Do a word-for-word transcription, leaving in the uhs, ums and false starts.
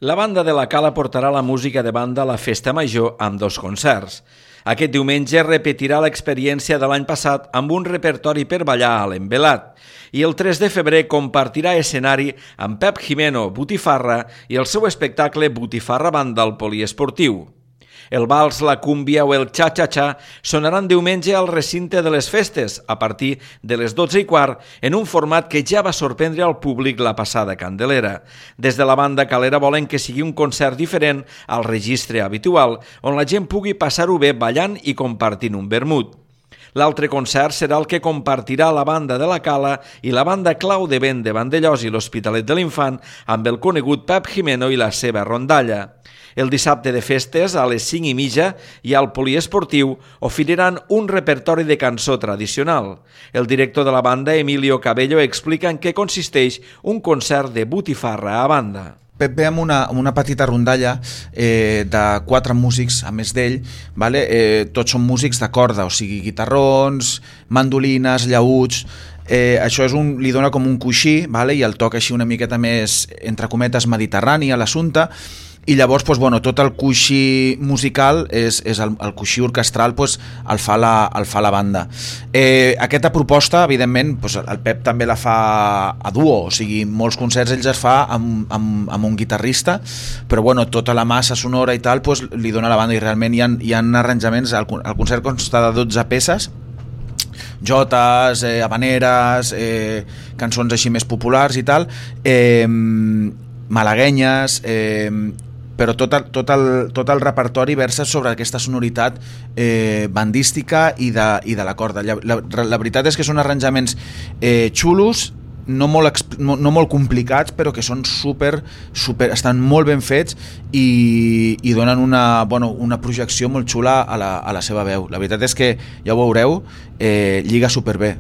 La banda de la Cala portarà la música de banda a la Festa Major amb dos concerts. Aquest diumenge repetirà l'experiència de l'any passat amb un repertori per ballar a l'Envelat i el tres de febrer compartirà escenari amb Pep Jimeno Botifarra i el seu espectacle Botifarra Banda al Poliesportiu. El vals, la cúmbia o el xa-xa-xa sonaran diumenge al recinte de les festes a partir de les dotze i quart en un format que ja va sorprendre al públic la passada Candelera. Des de la banda calera volen que sigui un concert diferent al registre habitual, on la gent pugui passar-ho bé ballant i compartint un vermut. L'altre concert serà el que compartirà la banda de la Cala i la banda Clau de Vent de Vandellós i l'Hospitalet de l'Infant amb el conegut Pep Jimeno i la seva rondalla. El dissabte de festes, a les cinc i mitja, i al Poliesportiu oferiran un repertori de cançó tradicional. El director de la banda, Emilio Cabello, explica en què consisteix un concert de botifarra a banda. Pep ve amb una, amb una petita rondalla eh, de quatre músics, a més d'ell, vale? eh, tots són músics de corda, o sigui, guitarrons, mandolines, llaüts. Eh, això és un, li dona com un coixí, vale? I el toca així una miqueta més, entre cometes, mediterrani a l'assumpte. I llavors doncs, bueno, tot el coixí musical és, és el, el coixí orquestral doncs, el, fa la, el fa la banda. Eh, aquesta proposta, evidentment, doncs, el Pep també la fa a duo, o sigui, molts concerts ells es fa amb, amb, amb un guitarrista, però bueno, tota la massa sonora i tal doncs, li dona la banda i realment hi ha, hi ha arranjaments, el, el concert consta de dotze peces, jotes, eh, habaneres, eh, cançons així més populars i tal, eh, malaguenyes, eh, però tot el, tot, el, tot el repertori versa sobre aquesta sonoritat eh, bandística i de, i de la corda. La, la, la veritat és que són arranjaments eh, xulos, no molt, no, no molt complicats, però que són super, super, estan molt ben fets i, i donen una, bueno, una projecció molt xula a la, a la seva veu. La veritat és que, ja ho veureu, eh, lliga superbé.